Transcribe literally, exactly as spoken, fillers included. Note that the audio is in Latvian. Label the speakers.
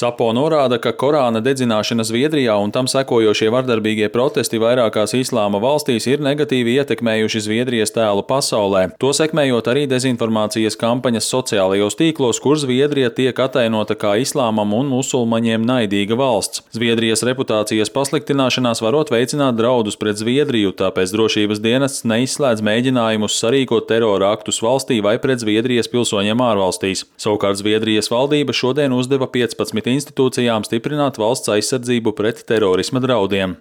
Speaker 1: Sapo norāda, ka Korāna dedzināšana Zviedrijā un tam sekojošie vardarbīgie protesti vairākās islāma valstīs ir negatīvi ietekmējuši Zviedrijas tēlu pasaulē, to sekmējot arī dezinformācijas kampaņas sociālajos tīklos, kur Zviedrija tiek atainota kā islāmam un musulmaņiem naidīga valsts. Zviedrijas reputācijas pasliktināšanās varot veicināt draudus pret Zviedriju, tāpēc drošības dienests neizslēdz mēģinājumus sarīkot terora aktus valstī vai pret Zviedrijas pilsoņiem ārvalstīs. Savukārt Zviedrijas valdība šodien uzdeva piecpadsmit institūcijām stiprināt valsts aizsardzību pret terorisma draudiem.